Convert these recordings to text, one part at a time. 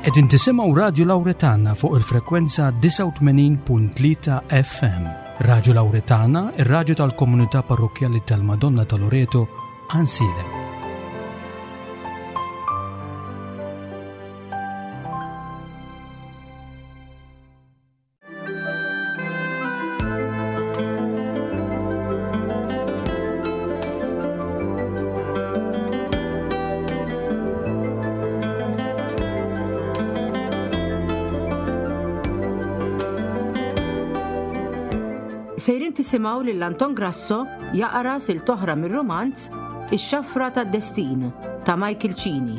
Qegħdin tisimgħu Radju Lawretana fuq il-frekwenza 89.3 FM. Radju Lawretana, ir-radju tal-komunità parrokkjali tal-Madonna ta' Loreto, Ansilem. Sejrin tisimgħu lil Anton Grasso jaqra sil toħra mir-romanz Ix-Xafra tad-Destin ta' Michael Cini.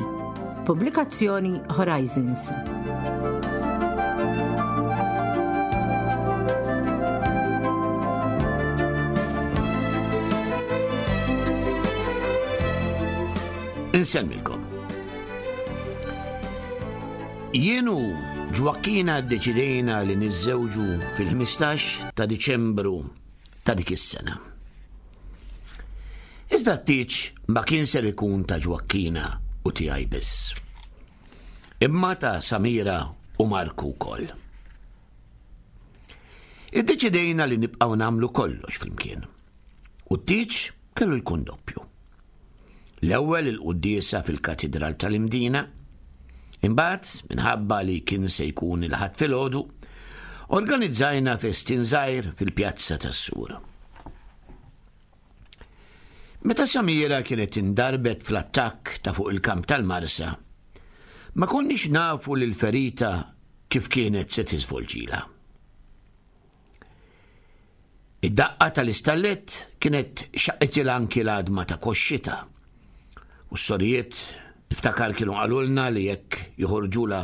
Pubblikazzjoni Horizons. Insemmilkom. Jien u Ġwakkina ddeċidejna li niżżewġu fil-15 ta' Diċembru ta' dik is-sena. Iżda t-tieġ ma kien ser ikun ta' Ġwakkina u tiegħi biss. Imma ta' Samira u Marku wkoll. Iddeċidejna li nibqgħu nagħmlu kollox flimkien. U t-tieġ kellu jkun doppju. L-ewwel il-quddiesa fil-Katidral tal-Imdina, imbagħad minħabba li kien se jkun il-Ħadd filgħodu, organizzajna festin żgħir fil-pjazza tas-Sur. Meta Samira kienet indarbet fl-attakk ta' fuq il-kamp tal-Marsa, ma konniex nafu li l-ferita kif kienet se tiżvolġilha. Id-daqqa tal-istallett kienet xaqqitilha anki l-għadma ta' koxxitha. U s-sorijiet niftakar kienu qalulna li jekk joħorġulha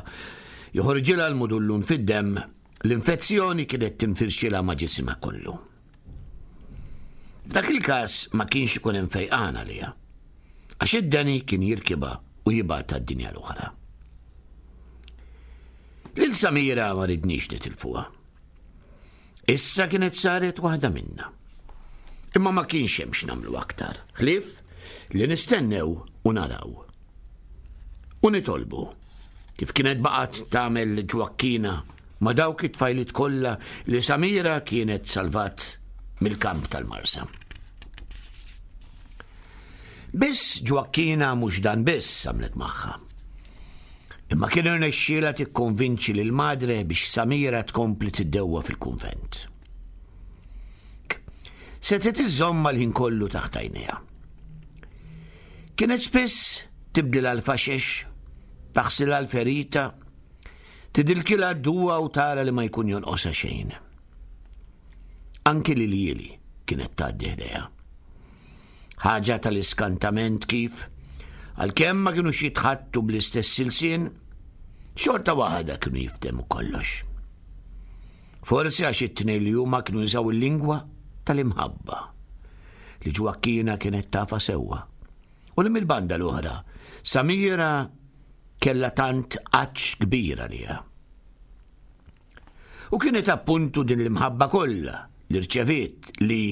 joħorġilha l-mudullun fid-demm, l-infezzjoni kienet tinfirxilha ma' ġisimha kollu. F'dak il-każ ma kienx ikun hemm fejqan għaliha, għax id-deni kien jirkibha u jibgħatha d-dinja l-oħra. Lil Samira ma ridniex nitilfuha. Issa kienet saret waħda minna. Imma ma kienx hemm x'nagħmlu aktar, ħlief li nistennew u naraw. U nitolbu, kif kienet baqgħet tagħmel Ġwakkina ma' dawk it-tfajliet kollha li Samira kienet salvat mill-kamp tal-Marsa. Biss Ġwakkina mhux dan biss għamlet magħha. Imma kien irnexxielha tikkonvinċi lil Madre biex Samira tkompli tiddewwa fil-kunvent. Setgħet iżżommha l-ħin kollu taħt għajnejha. Kienet spiss tibdilha l-faxex, taħsilha l-ferita, tidilkilha d-duwa u tara li ma jkun jonqosha xejn. Anki lil Jili kienet tgħaddi ħdejha. Ħaġa tal-iskantament kif, għalkemm ma kinux jitħaddtu bl-istess ilsien, xorta waħda kienu jiftehmu kollox. Forsi għax it-tnejn li huma kienu jużaw il-lingwa tal-imħabba li Ġwakkina kienet tafa sewwa. U li mill-banda l-oħra, Samira kellha tant għatx kbir għaliha. U kienet appuntu din l-imħabba kollha li rċeviet li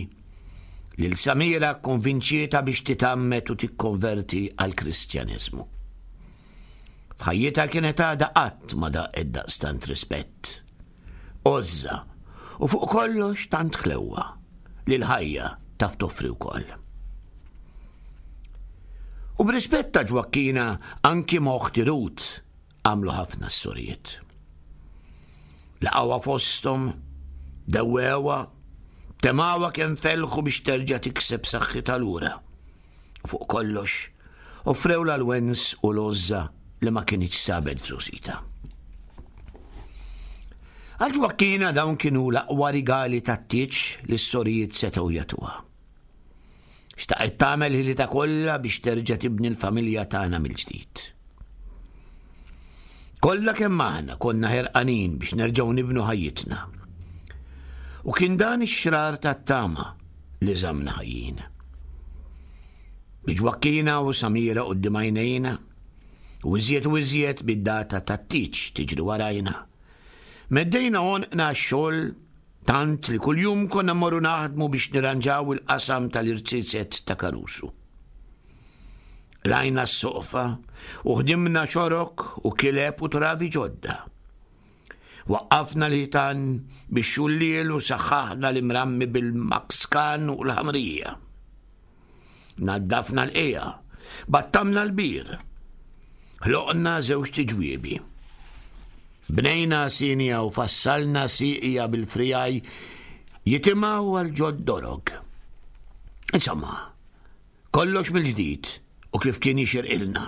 lil Samira kkonvinċietha biex titgħammed u tikkonverti għall-Kristjaneżmu. F'ħajjitha kienet għadha qatt ma daqet daqstant rispett, għożża u fuq kollox tant ħlewwa li l-ħajja taf toffri wkoll. U b'rispett ta' Ġwakkina anki ma' oħti Ruth Għamlu ħafna s-sorijiet. Laqgħuha fosthom, dewwewha, temgħuha kemm felħu biex terġa' tikseb saħħitha lura. U fuq kollox, offrewlha l-wens u l-għożża li ma kinitx sabet f'żgħożitha. Għal Ġwakkina dawn kienu l-aqwa rigali tat-tieġ li s-sorijiet setgħu jagħtuha. Xtaqet tagħmel ħilitha kollha biex terġa' tibni l-familja tagħna mill-ġdid. Kollha kemm aħna konna ħerqanin biex nerġgħu nibnu ħajjitna. U kien dan ix-xrar tat-tama li żammna ħajjin. Bi Ġwakkina u Samira quddiem għajnejna, u iżjed u iżjed bid-data tat-tieġ tiġri warajna. Meddejna għonqna għax-xogħol Tant li kuljum konna mmorru naħdmu biex nirranġaw il-qasam tal-irziezet ta' Caruso. Rajna s-soqfa u ħdimna ċorok u kileb u travi ġodda. Waqqafna l-ħitan bix-xulliel u saħħaħna l-imrammi bil-makskan u l-ħamrija. Naddafna l-qija, battamna l-bir. Ħloqna żewġ tiġwiebi. Bnejna sinja u fassalna siqja bil-frijaj jitimgħu għal ġod dorog. Insomma, Kollox mill-ġdid u kif kien jixirqilna.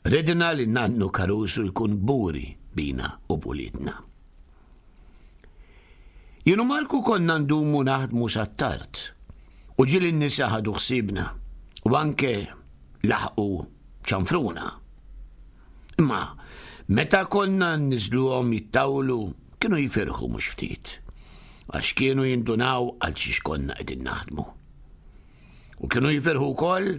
Ridna li nannu Caruso jkun kburi bina u b'uliedna. Jien u Marku konna ndumu naħdmu sat-tard u ġieli n-nisa ħadu ħsiebna u anke laħqu ċanfruna. Imma meta konna nniżżluhom jittawlu kienu jifirħu mhux ftit għax kienu jindunaw għal xiex konna qegħdin naħdmu. U kienu jifirħu wkoll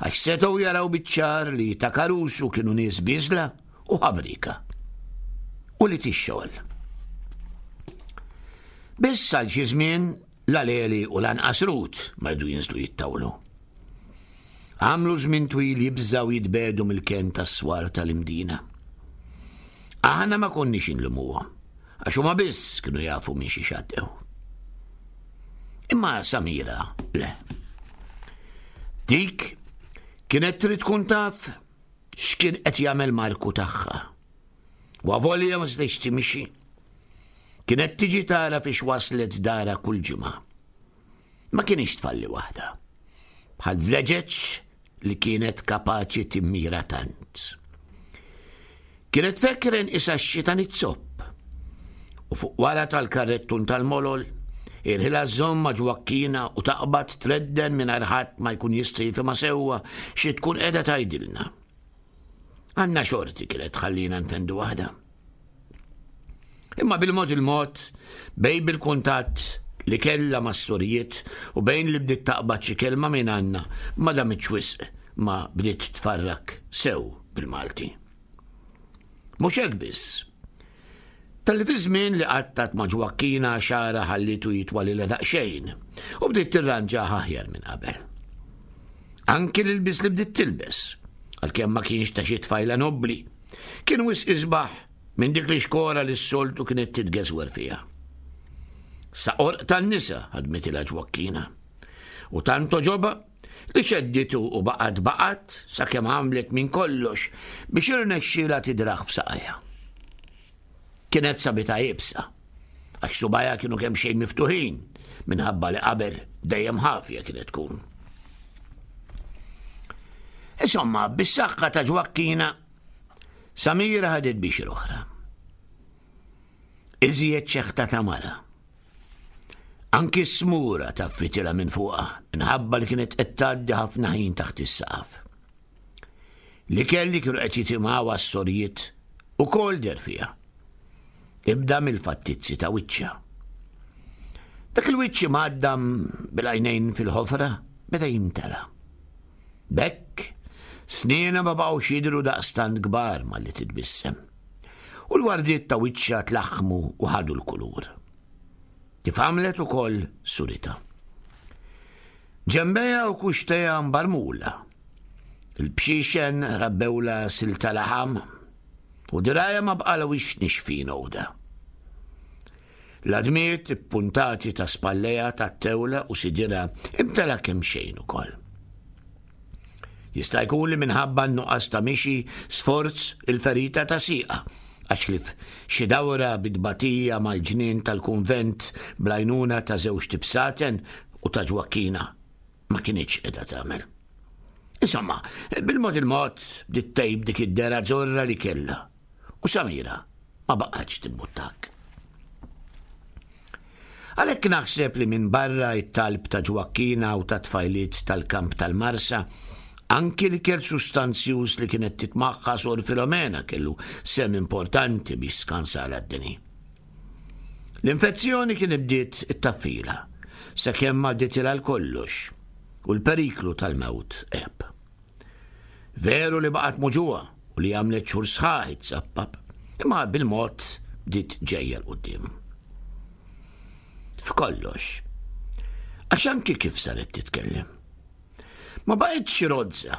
għax setgħu jaraw biċ-ċar li ta' Caruso kienu nies bieżla u ħabrika. U li tix-xogħol. Biss għal xi żmien la Leli u lanqas Ruth ma rdu jinżlu jittawlu. Għamlu żmien twil jibżgħu jitbedu mill-kenn tas-swar tal-Imdina. Aħna ma konniex inlumuhom, għax huma biss kienu jafu minn xi xaddew. Imma Samira, le. Dik kienet trid tkun taf x'kien qed jagħmel Marku tagħha. U avolja ma setgħetx timxi, kienet tiġi tara fiex waslet dara kull ġimgħa. Ma kienx tfalli waħda. Bħal vleġeġ li kienet kapaċi timmira tant. Kienet fekkren isa x-xita nitzopp. U fuq wara tal-karrettun tal-molol, irħila żomm ma' ġwakkina u taqbad tredden mingħajr ħadd ma jkun jista' jifhimha sewwa xi tkun qiegħda tgħidilna. Għandna xorti kienet tħallina nfendu waħda. Imma bil-mod il-mod, bejn bil-kuntatt li kellha mas-sorijiet u bejn li bdiet taqbad xi kelma minn għandna, ma damitx wisq ma bdiet tfarrak sew bil-Malti. Mhux hekk biss. Talli fi żmien li qattat ma' Ġwakkina xagħarha ħallietu jitwalilha daqsxejn u bdiet tirranġah aħjar minn qabel. Anki l-ilbies li bdiet tilbes, għalkemm ma kienx ta' xi tfajla nobbli, Kien wisq isbaħ minn dik l-ixkora li s-soltu kienet titgeżwer fiha. Sa qorq tan-nisa ħadmitilha Ġwakkina. U tant għoġobha li ċedditu u baqgħet baqgħet sakemm għamlet minn kollox biex irnexxielha tidrah f'saqajha. Kienet sabitha iebsa, għax subgħajha kienu kemxejn miftuħin minħabba li qabel dejjem ħafja kienet tkun. Insomma, bis-saħħa ta' Ġwakkina, Samira ħadet biex oħra. Iżjed ċeħta ta' mara. Anki s-smura ta' fitila minn fuqha, minħabba li kienet qed tgħaddi ħafna ħin taħt is-saqaf. L-ikel li kienu qed jitimgħu għas-sorijiet ukoll deher fiha. Ibda mill-fattizzi ta' wiċċha. Dak il-wiċċ imgħaddam bil-għajnejn fil-ħofra beda jimtela. B'hekk, snienha ma baqgħux jidhru daqstant kbar malli titbissem. U l-wardiet ta' wiċċha tlaħħmu u ħadu l-kulur. Kif għamlet ukoll suritha. Ġenbejha u kuxtejha mbarmula. Il-bxixen rabbewlha silta laħam u dirgħajha ma bqalha wix nixfin għoda. L-għadmiet ippuntati ta' spallejha tat-tewla u sidirha imtela kemxejn ukoll. Jista' jkun li minħabba n-nuqqas ta' mixi sforz il-ferita ta' sieqha, għax ħlief xi dawra bi tbatija mal-ġnien tal-kunvent bl-għajnuna ta' żewġt ibsaten u ta' Ġwakkina ma kinitx qiegħda tagħmel. Insomma, bil-mod il-mod bdiet tgħib dik id-dehra żorra li kellha u Samira ma baqgħetx timbuttak. Għalhekk naħseb li minbarra t-talb ta' Ġwakkina u tat-tfajliet tal-kamp tal-Marsa, anki l-ikel sustanzjuż li kienet titmaħħa Sor Filomena kellu sehem importanti biex skansalha d-deni. L-infezzjoni kien bdiet ittaffilha sakemm għadditilha l-kollox u l-periklu tal-mewt għeb. Veru li baqgħet muġugħa u li għamlet xhur sħaħ itzappap, imma bil-mod bdiet ġejja 'l quddiem. F'kollox. Għax anki kif saret titkellem. Ma baqgħetx rozza.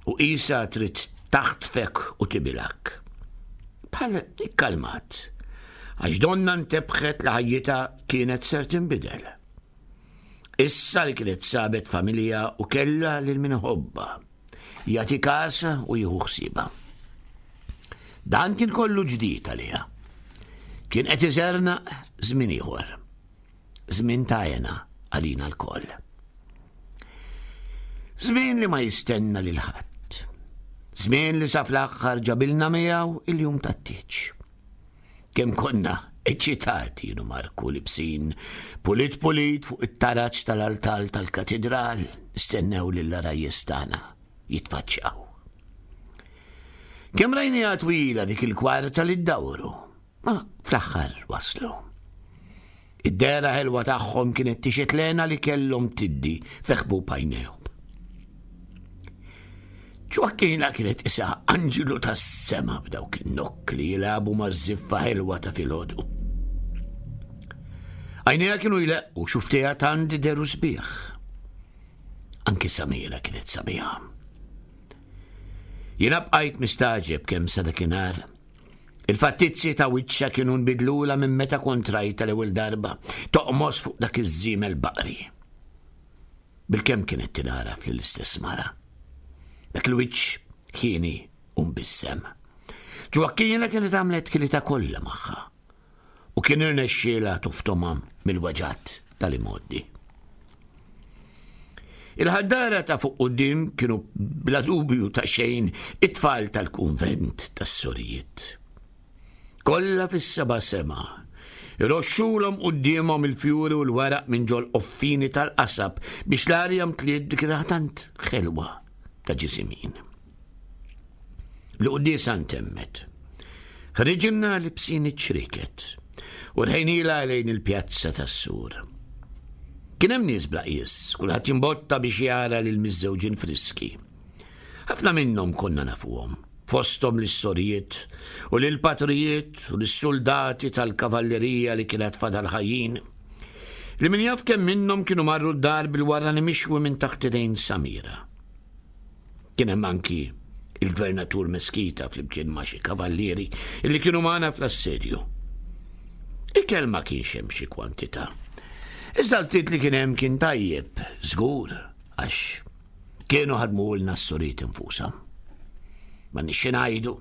U qisha trid taħtfek u tibilgħek. Bħal ikkalmat, għax donna ntebħet li ħajjitha kienet ser tinbidel. Issa li kienet sabet familja u kellha lil min iħobbha, jagħti kasha u jieħu ħsiebha. Dan kien kollu ġdid għaliha. Kien qed iżernaq żmien ieħor. Żmien ta' hena għalina lkoll. Żmien li ma jistenna lil ħadd. Żmien li sa fl-aħħar ġabilna miegħu il-jum tat-tieġ. Kemm konna eċitati jienu Marku libsin pulit pulit fuq it-taraġ tal-altal tal-katidral nistennew lil arajjes tagħna jitfaċċaw. Kemm rajniha twila dik il-kwarta li ddawru, ma fl-aħħar waslu. Id-dehra ħelwa tagħhom kienet tixhed l-hena li kellhom tiddi fi ħbub għajnejhom. Ġwakkina kienet isa anġlu tas-sema b'dawk in-nokkli jilagħbu maż-żiffa ħelwa ta' filgħodu. Għajnejha kienu jleqqu xuftejha tant deru sbieħ. Anki Samira kienet sabiħa. Jiena bqajt mistagħġeb kemm sa dakinhar Il-fattizzi ta' wiċċha kienu nbidlulha minn meta kont rajtha l-ewwel darba toqmos fuq dak iż-żiemel baqri. Bilkemm kienet tingħaraf lill-istess mara. Dak il-wiċċ ħieni u mbissem. Ġwakkina kienet għamlet ħilitha kollha magħha u kien irnexxielha toftomha mill-weġgħat tal-imgħoddi. Il-ħaddara ta' fuq quddiem kienu bla dubju ta' xejn it-tfal tal-kunvent tas-sorijiet. Kollha fis-seba' sema, iroxxulhom quddiemhom il-fjuri u l-weraq minn ġol qoffini tal-qasab biex l-arja mtliet dik tant ħelwa ta' ġisimin. L-quddiesa ntemmet. Ħriġna libsin iċ-ċrieket u rħejnilha lejn il-pjazza tas-sur. Kien hemm nies bla qies, kulħadd jimbotta biex jara lil miżżewġin friski. Ħafna minnhom konna nafuhom, fosthom lis-sorijiet u lill-patrijiet u lis-suldati tal-kavallerija li kienet fadal ħajjin. Li min jaf kemm minnhom kienu marru d-dar bil-warrani mixwi minn taħt idejn Samira. Kien hemm anki il-Gvernatur Meskita flimkien ma' xi kavallieri li kienu magħna fl-assedju. Ikel ma kienx hemm xi kwantità. Iżda l-ftit li kien hemm kien tajjeb, żgur, għax kienu ħadmulna s-suriet infushom. Ma nixxi ngħidu,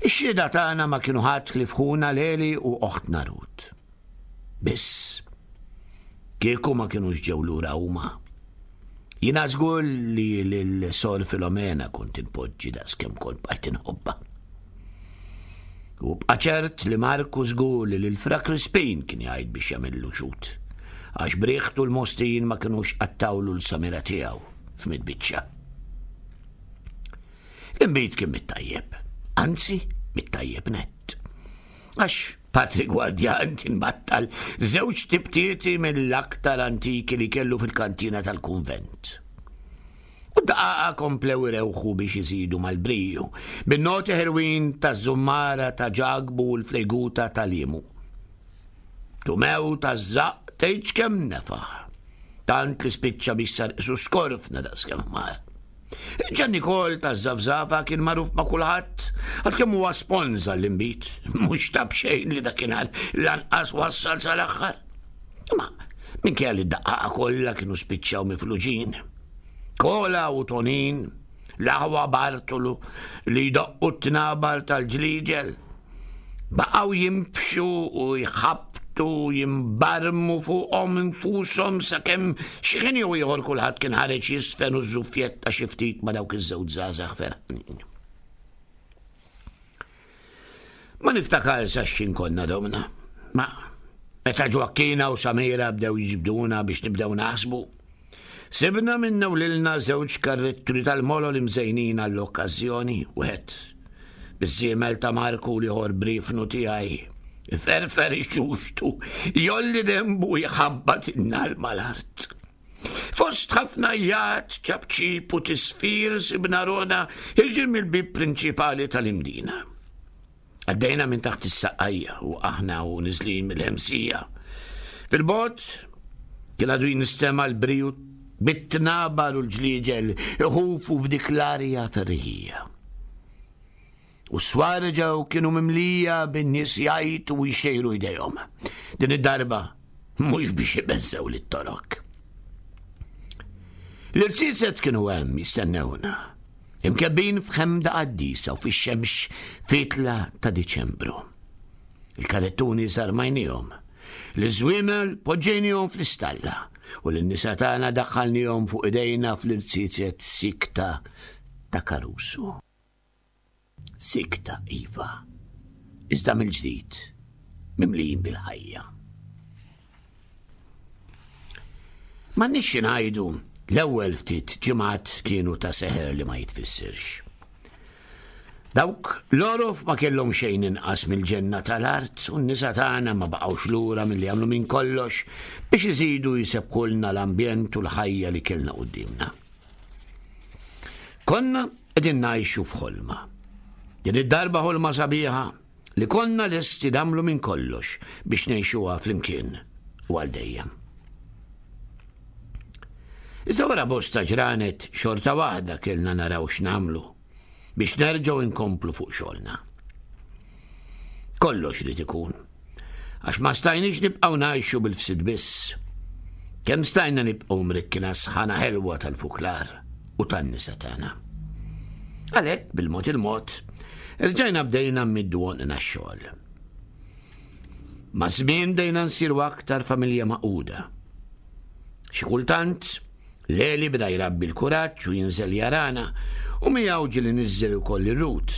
ix-xhieda tagħna ma kienu ħadd ħlief ħuna Leli u oħtna Rut. Biss, kieku ma kinux ġew lura huma. Jiena żgur li lil Sor Filomena kont inpoġġi daqskemm kont bqajt inħobbha. U bqa' ċert li Marku żgur li lil Fra Crispin kien jgħid biex jagħmillu xut, għax b'riħtu l-Mostin ma kinux qattawlu l-samira tiegħu f'mitt biċċa. L-inbid kien mit-tajjeb, anzi mit-tajjeb nett. Għax Patri Gwardjan kien battal żewġ tibtieti mill-aktar antiki li kellu fil-kantina tal-kunvent. U d-daqaqa komplew irewħu biex iżidu mal-briju, bin-noti ħelwin taż-żummara ta' Ġakbu u l-fleguta ta' Liemu. Tumew taż-żaqq tgħidx kemm nefaħ, tant li spiċċa biex sar qisu skorfna daqskemm ħmar. Ġan Nikol ta' Zafzafa kien magħruf ma' kulħadd, għalkemm huwa sponża l-inbid, mhux ta' b'xejn li dakinhar lanqas wassal sal-aħħar. Ma minkejja li d-daqqaqa kollha kienu spiċċaw mifluġin. Kola u Tonin, l-aħwa Bartolu li jdoqqu t-tnabar tal-ġliġel, Baqgħu jinbxu u jħabbtu u jimbarmu fuqhom infushom sakemm xi ħin jew ieħor kulħadd kien ħareġ jiżfen u żżuffjetta xi ftit ma' dawk iż-żewġ żgħażagħ ferħanin. Ma niftakar sa x'xin konna domna. Ma meta Ġwakkina u Samira bdew jiġbduna biex nibdew naħsbu, Sibna minna u lilna żewġ karretturi tal-molol imżejnin għall-okkażjoni, wieħed biż-żiemel ta' Marku u l-ieħor b'riefnu tiegħi. Iferfer ixuxtu, jolli dembu jħabbat in-nar mal-art. Fost ħafna jgħat, ċapċip u tisfir sibna ruħna ħirġin mill-bieb prinċipali tal-Imdina. Għaddejna minn taħt is-saqqajja u aħna u niżlin mill-ħemsija. Fil-bogħod kien għadu jinstema' l-briju Bit-tnabar u l-ġliġel iħufu f'dik l-arja ferħija. U s-swar reġgħu kienu mimlija bin-nies jgħajtu u jxejru jdejhom. Din id-darba mhux biex ibeżżgħu lit-Torok. L-irziezet kienu hemm jistennewna, imkebbin f'ħemda qaddisa u fix-xemx fitla ta' Diċembru. Il-karettuni sarmajnihom, l-żwiemel poġġejnihom fl-istalla u lin-nisa tagħna daħħalnihom fuq idejna fl-irziezet sikta ta' Caruso. Sikta, iva, iżda mill-ġdid, mimlijin bil-ħajja. M'għandniex xi ngħidu, l-ewwel ftit ġimgħat kienu ta' seħer li ma jitfissirx. Dawk l-għorof ma kellhom xejn inqas mill-ġenna tal-art u n-nisa tagħna ma baqgħux lura milli jagħmlu minn kollox biex iżidu jsebbkulna l-ambjent u l-ħajja li kellna quddiemna. Konna qegħdin ngħixu f'ħolma. Din id-darba ħolma sabiħa li konna lesti nagħmlu minn kollox biex ngħixuha flimkien u għal dejjem. Iżda wara bosta ġranet xorta waħda kellna naraw x'nagħmlu biex nerġgħu nkomplu fuq xogħolna. Kollox irid ikun. Għax ma stajniex nibqgħu ngħixu bil-fsid biss. Kemm stajna nibqgħu mrikkina sħana ħelwa tal-fuklar u tan-nisa tagħna. Għalhekk bil-mod il-mod, rġajna bdejna mmiddu għonqna x-xogħol. Ma' żmien bdejna nsiru aktar familja magħquda. Xi kultant, Leli beda jrabbi l-kuraġġ u jinżel jarana u miegħu ġieli niżżel ukoll ir-Rut.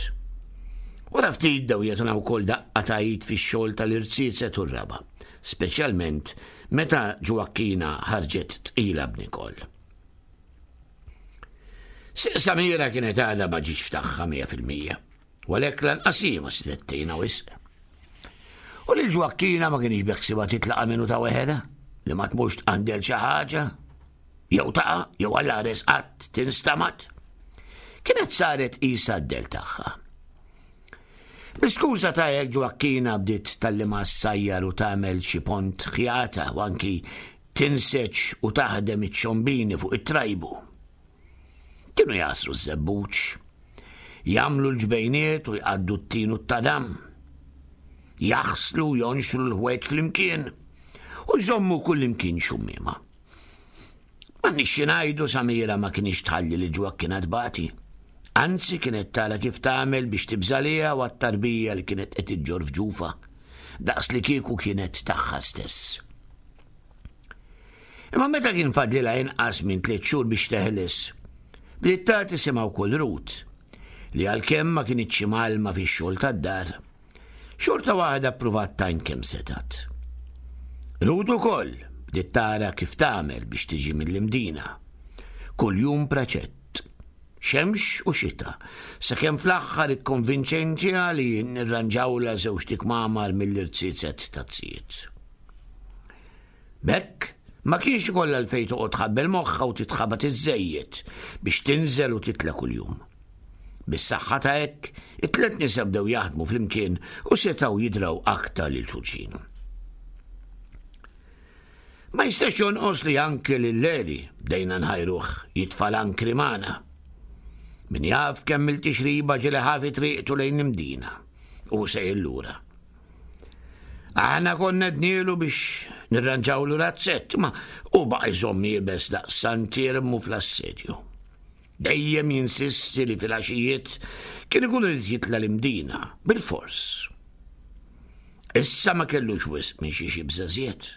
Wara ftit bdew jagħtuna wkoll daqqa ta' id fix-xogħol tal-irziezet u r-raba', speċjalment meta Ġwakkina ħarġet tqila b'Nicole. Sieq Samira kienet għadha ma ġietx f'tagħha 100%, u għalhekk lanqas hi ma setgħet tgħinha wisq. U lil Ġwakkina ma kienx beħsiebha titlaqa' minnu ta' weħedha, li ma tmurx tqandel xi ħaġa, jew taqa' jew għall-għares qatt tinstamat. Kienet saret qisha d-del tagħha. Bl-iskuża ta' hekk Ġwakkina bdiet tgħallimha ssajjar u tagħmel xi pont ħjata u anki tinseġ u taħdem iċ-ċombini fuq it-trajbu. Kienu jagħsru ż-żebbuġ, jagħmlu l-ġbejniet u jqaddu t-tin u t-tadam, jaħslu u jonxru l-ħwejġ flimkien u jżommu kullimkien xummiema. M'għandniex xi ngħidu Samira ma kinitx tħalli lil Ġwakkina tbati. Anzi kienet tara kif tagħmel biex tibża' għaliha u għat-tarbija li kienet qed iġġorr f'ġufha, daqs li kieku kienet tagħha stess. Imma meta kien fadlilha inqas minn tliet xhur biex teħles, bdiet tagħti simha wkoll Ruth, li għalkemm ma kinitx imgħallma fix-xogħol tad-dar, xorta waħda ppruvat tgħin kemm setgħet. Ruth ukoll bdiet tara kif tagħmel biex tiġi mill-Imdina. Kuljum preċett. Xemx u xita, sakemm fl-aħħar ikkonvinċejntiha li nirranġawlha żewġt ikmamar mill-irziezet taz-zijiet. B'hekk, ma kienx ikollha għalfejn toqgħod tħabbel moħħha u titħabat iżżejjed biex tinżel u titla' kuljum. Bis-saħħa ta' hekk, it-tlet nisa bdew jaħdmu flimkien u setgħu jidraw aktar lil xulxin. Ma jistax jonqos li anke lil Leli bdejna nħajruh jitfa' l-ankri magħna. Min jaf kemm il-tixriba ġieli ħa fi triqtu lejn l-Imdina u sejjer lura. Aħna konna dnielu biex nirranġawlu razzett, ma u baqa' jżomm iebes daqs Sant'Iermu fl-assedju. Dejjem jinsisti li fil-għaxijiet kien ikun irid jitla' l-Imdina, bilfors. Issa ma kellux wisq minn xi xibża żjed,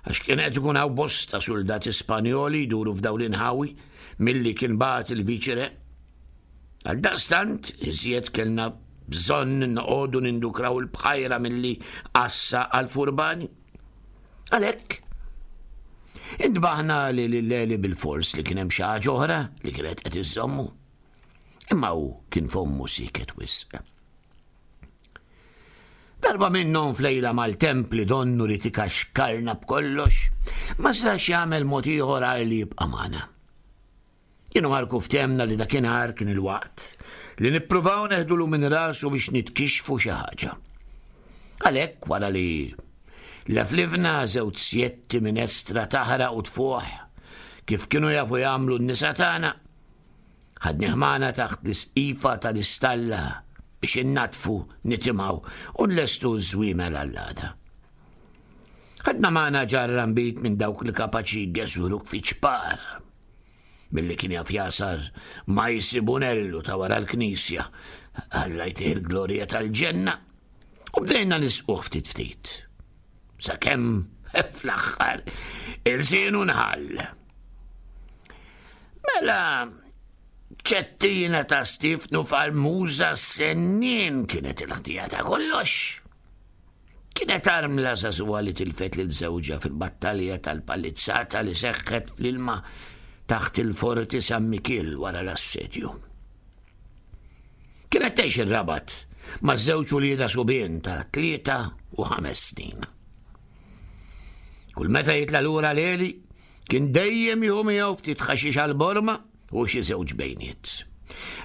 għax kien qed ikun hawn bosta suldati Spanjoli jduru f'dawn l-inħawi milli kien bagħat il-viċi-re. Għaldaqstant, iżjed kellna bżonn noqogħdu nindukraw il-bħajra milli għassa għall-furbani. Għalhekk, intbaħna li lil Eli bilfors li kien hemm xi ħaġa oħra li kienet qed iżżommu. Imma hu kien fommu sieket wisq. Darba minnhom f'lejla maltemp li donnu li tikaxkarna b'kollox, ma setax jagħmel mod ieħor għajr li jibqa' magħna. Jien u Marku ftehemna li dakinhar kien il-waqt li nippruvaw neħdulu minn rasu biex nitkixxfu xi ħaġa. Għalhekk wara li leflifna żewġ sjetti minestra taħraq u tfuħ, kif kienu jafu jagħmlu n-nisa tagħna, ħadnih magħna taħt l-isqifa tal-istalla biex innaddfu, nitimgħu u nlestu ż-żwiemel għall-għada. Ħadna magħna ġarra nbid minn dawk li kapaċi jgeżwruk fi ċpar. Milli kien jaf jasar ma jsibunellu ta' wara l-knisja, Alla jtih il-glorja tal-ġenna, u bdejna nisquh ftit ftit. Sakemm fl-aħħar ilsienu nħall. Mela ċettina ta' Stifnu Farmuża s-sennin kienet il-ħtija ta' kollox. Kienet armla żagħżugħa li tilfet lil żewġha fil-battalja tal-palizzata li seħħet fl-ilma taħt il-Forti San Mikiel wara l-assedju. Kienet tgħix ir-Rabat ma' żewġ uliedha subien ta' 3 u 5 snin. Kull meta jitla' lura Leli, kien dejjem jieħu miegħu ftit ħaxix għall-borma u xi żewġ bejniet.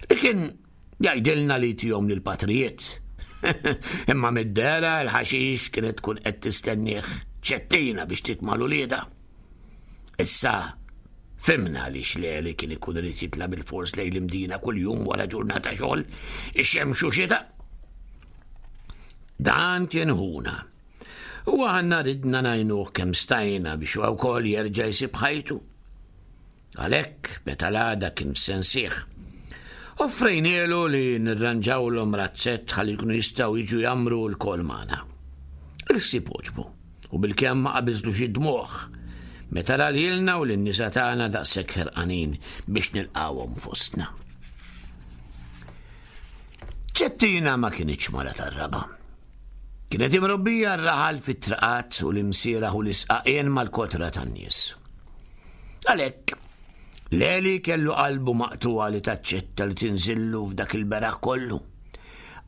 Li kien Jgħidilna li jtihom lill-patrijiet. Imma mid-dehra l-ħaxix kienet tkun qed tistennieh ċettina biex titma' l-uliedha. Issa fhimna għaliex Leli kien ikun irid jitla' bil-fors lejn l-Imdina kuljum wara ġurnata xogħol, ix-xemx u xita. Dan kien ħuna. U aħna ridna ngħinuh kemm stajna biex huwa wkoll jerġa' jsib ħajtu. Għalhekk, meta l-għada kien f'sensih, offrejnielu li nirranġawlhom razzett ħalli jkunu jistgħu jiġu jgħammru lkoll magħna. Il-ħsieb għoġbu, u bilkemm ma qabiżlux id-dmugħ meta ra lilna u lin-nisa tagħna daqshekk ħerqanin biex nilqgħuhom fostna. Ċettina ma kinitx mara tar-raba'. Kienet imrobbija r-raħal fit-triqat u l-imsieraħ u l-isqaqien mal-kotra tan-nies. Għalhekk, Leli kellu qalbu maqtugħa li taċċetta li tinżillu f'dak il-beraħ kollu.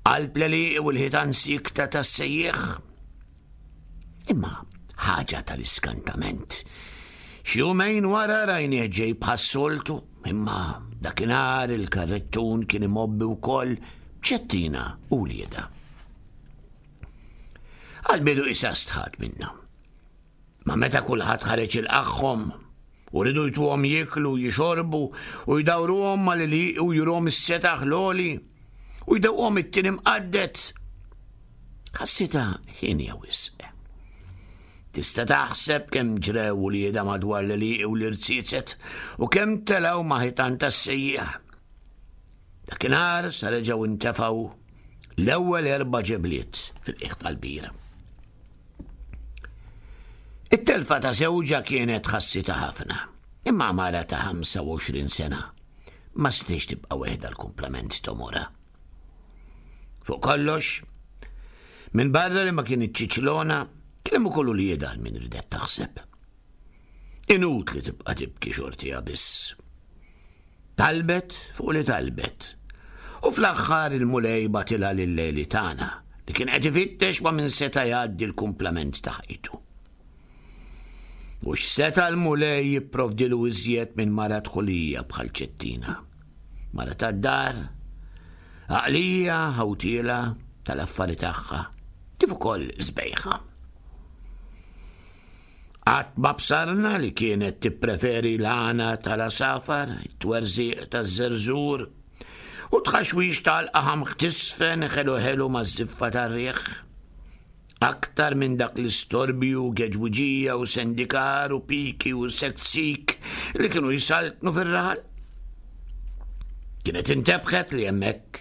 Qalb l-għelieqi u l-ħitan siekta tas-sejjieħ. Imma ħaġa tal-iskantament. Xi jumejn wara rajnieh ġej bħas-soltu, imma dakinhar il-karrettun kien imgħobbi wkoll b'ċettina u wliedha. Għall-bidu isa stħat minna. Ma meta kulħadd ħareġ ilqagħhom u ridu jtuhom jieklu, jixorbu u jdawruhom mal-għelieqi u juruhom is-setaħ l-għoli u jdewquhom it-tin imqadded. Ħassitha ħienja wisq. Tista' taħseb kemm ġrew uliedha madwar l-għelieqi u l-irziezet u kemm telgħu ma' ħitan tas-sejjieħ. Dakinhar sa reġgħu intefgħu l-ewwel erba' ġebliet fil-qiegħ tal-bir. It-telfa ta' żewġha kienet ħassitha ħafna, imma mara ta' 25 sena ma setgħetx tibqa' weħda l-kumplament t'għomorha. Fuq kollox, minn barra li ma kienet ċiċlona, kien hemm ukoll uliedha għal min ridet taħseb. Inutli tibqa' tibki xortiha biss. Talbet fuq li talbet. U fl-aħħar il-Mulej bagħtilha lil Leli tagħna li kien qed ifittex ma' min seta' jgħaddi l-kumplament ta' ħajtu. U x'seta' l-Mulej jipprovdilu iżjed minn mara dħulija bħal Ċettina. Mara tad-dar, għaqlija, ħawtiela tal-affari tagħha, kif ukoll sbejħa. Qatt ma bsarna li kienet tippreferi l-għana tal-għasafar, it-twerżiq taż-żerżur, u t-tħaxwix tal-qaħam ħtisfen ħelu ħelu maż-żiffa tar-riħ. Aktar minn dak l-istorbju, geġwiġija u sendikar u piki u seksik li kienu jsaltnu fir-raħal. Kienet intebħet li hemmhekk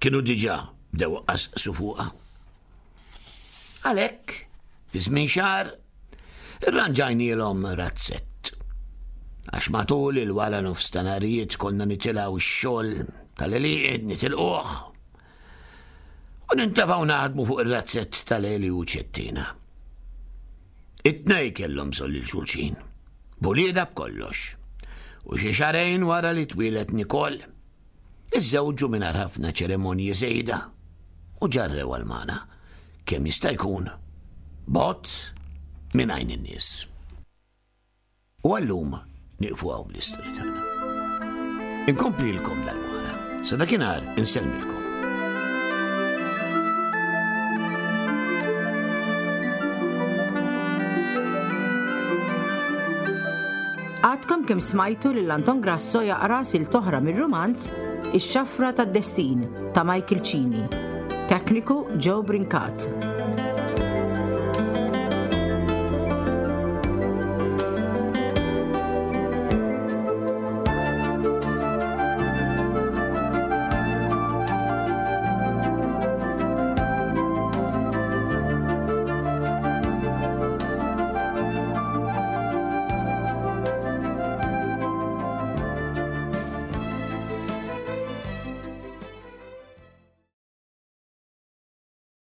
kienu diġà bdew qasqsu fuqha. Għalhekk, fi żmien xahar, irranġajnielhom razzett. Għax matul il-wara nofs ta' narijiet konna nitilgħu x-xogħol tal-għelieqed nitilquh u nintefgħu naħdmu fuq ir-razzett tal-Eli u Ċettina. It-tnej kellhom bżonn lil xulxin, b'uliedha b'kollox. U xi xahrejn wara li twieled Nicole, Iżżewġu mingħajr ħafna ċerimonji żejda u ġarrew għal magħna kemm jista' jkun bogħod minn għajn in-nies. U għallum nieqfu hawn bl-istorja tagħna. Inkomplilkom darb'oħra. Sa dakinhar insellmilkom. Għadkom kemm smajtu lil Anton Grasso jaqra sil toħra mir-rumanz Ix-Xafra tad-Destin ta' Michael Cini. Tekniku Joe Brincat.